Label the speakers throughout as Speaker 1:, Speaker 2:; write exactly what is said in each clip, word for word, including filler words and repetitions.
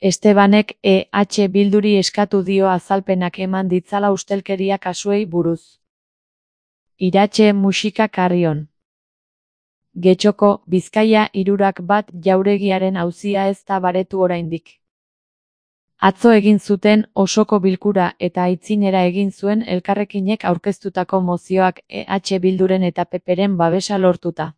Speaker 1: Estebanek E H Bilduri eskatu dio azalpenak eman ditzala ustelkeria kasuei buruz. Iratxe musika Carrion. Getxoko, Bizkaia hirurak bat jauregiaren auzia ez da baretu oraindik. Atzo egin zuten osoko bilkura eta aitzinera egin zuen elkarrekinek aurkeztutako mozioak E H Bilduren eta Ppren babesa lortuta.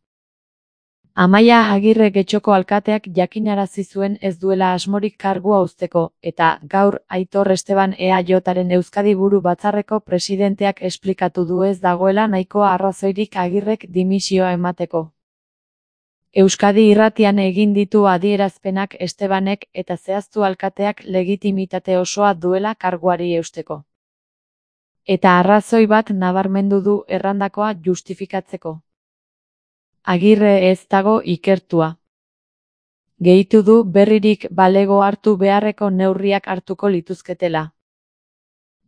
Speaker 1: Amaia Agirre Getxoko alkateak jakinarazi zuen ez duela asmorik kargua uzteko, eta gaur Aitor Esteban E A Jaren Euskadi Buru Batzarreko presidenteak esplikatu du ez dagoela nahikoa arrazoirik Agirrek dimisioa emateko. Euskadi Irratian egin ditu adierazpenak Estebanek eta zehaztu alkateak legitimitate osoa duela karguari eusteko. Eta arrazoi bat nabarmendu du errandakoa justifikatzeko. Agirre ez dago ikertua. Gehitu du berririk balego hartu beharreko neurriak hartuko lituzketela.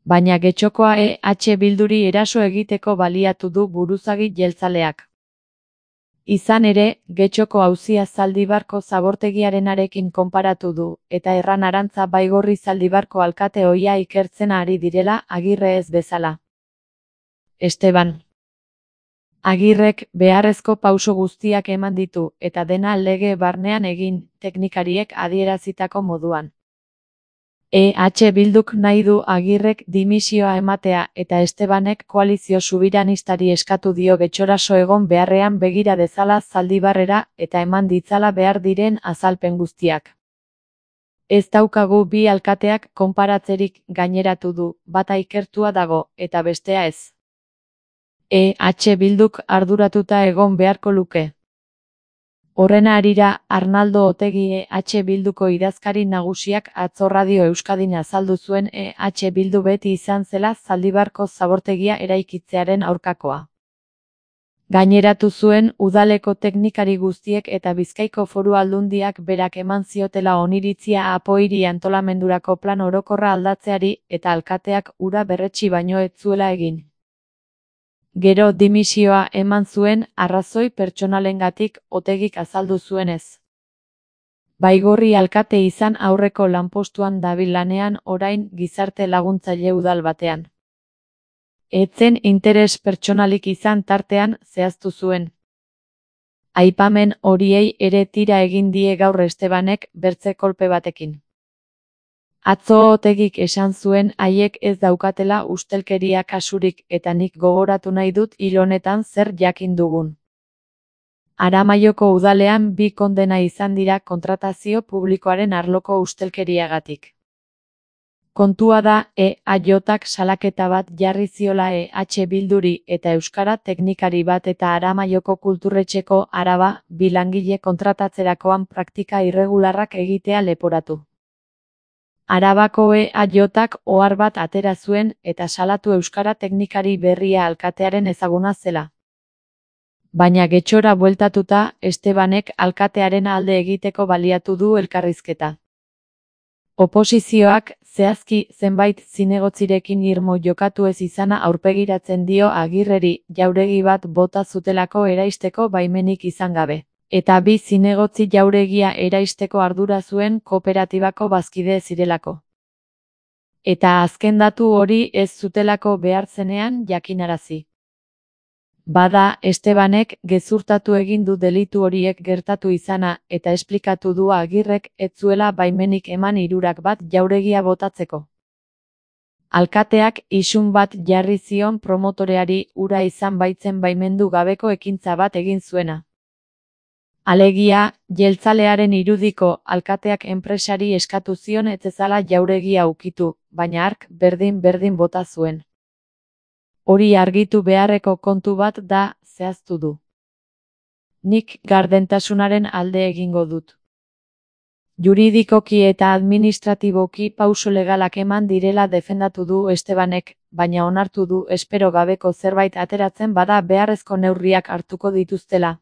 Speaker 1: Baina Getxokoa E H Bilduri eraso egiteko baliatu du buruzagi jeltzaleak. Izan ere, Getxoko auzia Zaldibarko zabortegiarenarekin konparatu du, eta Erran Arantza Baigorri Zaldibarko alkate ohia ikertzen ari direla Agirre ez bezala. Esteban. Agirrek beharrezko pauso guztiak eman ditu, eta dena lege barnean egin, teknikariek adierazitako moduan. E H Bilduk nahi du Agirrek dimisioa ematea eta Estebanek koalizio subiranistari eskatu dio getxoraso egon beharrean begira dezala Zaldibarrera eta eman ditzala behar diren azalpen guztiak. Ez daukagu bi alkateak konparatzerik gaineratu du, bata ikertua dago eta bestea ez. E H Bilduk arduratuta egon beharko luke. Horren harira, Arnaldo Otegi E H Bilduko idazkari nagusiak atzo Radio Euskadin azaldu zuen E H Bildu beti izan zela Zaldibarko zabortegia eraikitzearen aurkakoa. Gaineratu zuen udaleko teknikari guztiek eta Bizkaiko Foru Aldundiak berak eman ziotela oniritzia Apoiri antolamendurako plan orokorra aldatzeari eta alkateak hura berretsi baino ez zuela egin. Gero dimisioa eman zuen arrazoi pertsonalengatik Otegik azaldu zuenez. Baigorri alkate izan aurreko lanpostuan dabil lanean orain gizarte laguntzaile udal batean. Etzen interes pertsonalik izan tartean zehaztu zuen. Aipamen horiei ere tira egin die gaur Estebanek bertze kolpe batekin. Atzo Otegik esan zuen haiek ez daukatela ustelkeria kasurik eta nik gogoratu nahi dut hil honetan zer jakin dugun. Aramaioko udalean bi kondena izan dira kontratazio publikoaren arloko ustelkeriagatik. Kontua da E A Jak salaketa bat jarri ziola E H Bilduri eta euskara teknikari bat eta Aramaioko kulturretxeko Araba bi langile kontratatzerakoan praktika irregularrak egitea leporatu. Arabako E A Jak ohar bat atera zuen eta salatu euskara teknikari berria alkatearen ezaguna zela. Baina getxora bueltatuta, Estebanek alkatearen alde egiteko baliatu du elkarrizketa. Oposizioak, zehazki zenbait zinegotzirekin irmo jokatu ez izana aurpegiratzen dio Agirreri jauregi bat bota zutelako eraisteko baimenik izan gabe. Eta bi zinegotzi jauregia eraisteko ardura zuen kooperatibako bazkide zirelako. Eta azken datu hori ez zutelako behar zenean jakinarazi. Bada, Estebanek gezurtatu egin du delitu horiek gertatu izana eta esplikatu du Agirrek ez zuela baimenik eman hirurak bat jauregia botatzeko. Alkateak isun bat jarri zion promotoreari hura izan baitzen baimendu gabeko ekintza bat egin zuena. Alegia, jeltzalearen irudiko alkateak enpresari eskatu zion ez ezala jauregia ukitu, baina hark berdin-berdin bota zuen. Hori argitu beharreko kontu bat da, zehaztu du. Nik gardentasunaren alde egingo dut. Juridikoki eta administratiboki pauso legalak eman direla defendatu du Estebanek, baina onartu du espero gabeko zerbait ateratzen bada beharrezko neurriak hartuko dituztela.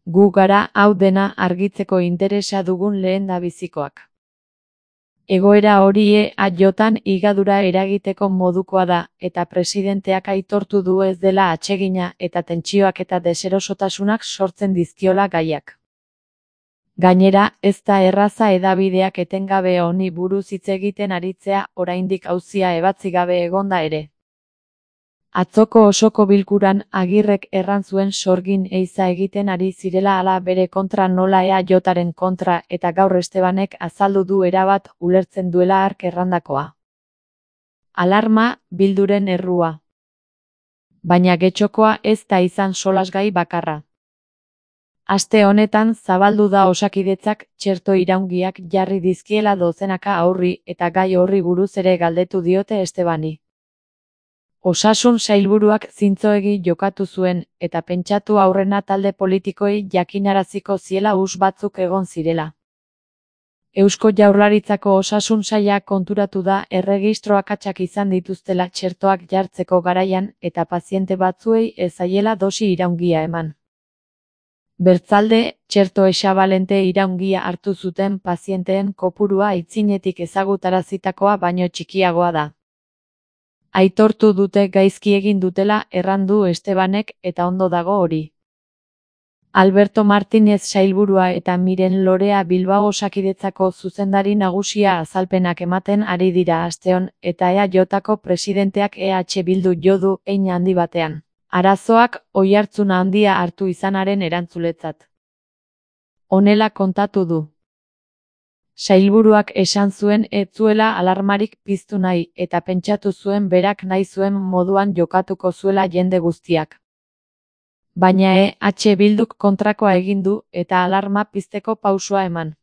Speaker 1: Gu gara hau dena argitzeko interesa dugun lehendabizikoak. Egoera hori E A Jtan higadura eragiteko modukoa da, eta presidenteak aitortu du ez dela atsegina eta tentsioak eta deserosotasunak sortzen dizkiola gaiak. Gainera, ez da erraza hedabideak etengabe honi buruz hitz egiten aritzea oraindik auzia ebatzi gabe egonda ere. Atzoko osoko bilkuran Agirrek erran zuen sorgin eiza egiten ari zirela ala bere kontra nola E A Jaren kontra eta gaur Estebanek azaldu du erabat ulertzen duela hark errandakoa. Alarma, Bilduren errua. Baina Getxokoa ez da izan solasgai bakarra. Aste honetan zabaldu da Osakidetzak txerto iraungiak jarri dizkiela dozenaka aurri eta gai horri buruz ere galdetu diote Estebani. Osasun sailburuak zintzoegi jokatu zuen, eta pentsatu aurrena talde politikoei jakinaraziko ziela us batzuk egon zirela. Eusko Jaurlaritzako osasun saila konturatu da erregistro akatsak izan dituztela txertoak jartzeko garaian eta paziente batzuei ez zaiela dosi iraungia eman. Bertzalde, txerto esabalente iraungia hartu zuten pazienteen kopurua aitzinetik ezagutarazitakoa baino txikiagoa da. Aitortu dute gaizki egin dutela errandu Estebanek eta ondo dago hori. Alberto Martínez sailburua eta Miren Lorea Bilbao Osakidetzako zuzendari nagusia azalpenak ematen ari dira asteon eta E A Jko presidenteak E H Bildu jo du hein handi batean. Arazoak oihartzun handia hartu izanaren erantzuletzat. Honela kontatu du. Sailburuak esan zuen ez zuela alarmarik piztu nahi eta pentsatu zuen berak nahi zuen moduan jokatuko zuela jende guztiak. Baina E H Bilduk kontrakoa egin du eta alarma pizteko pausua eman.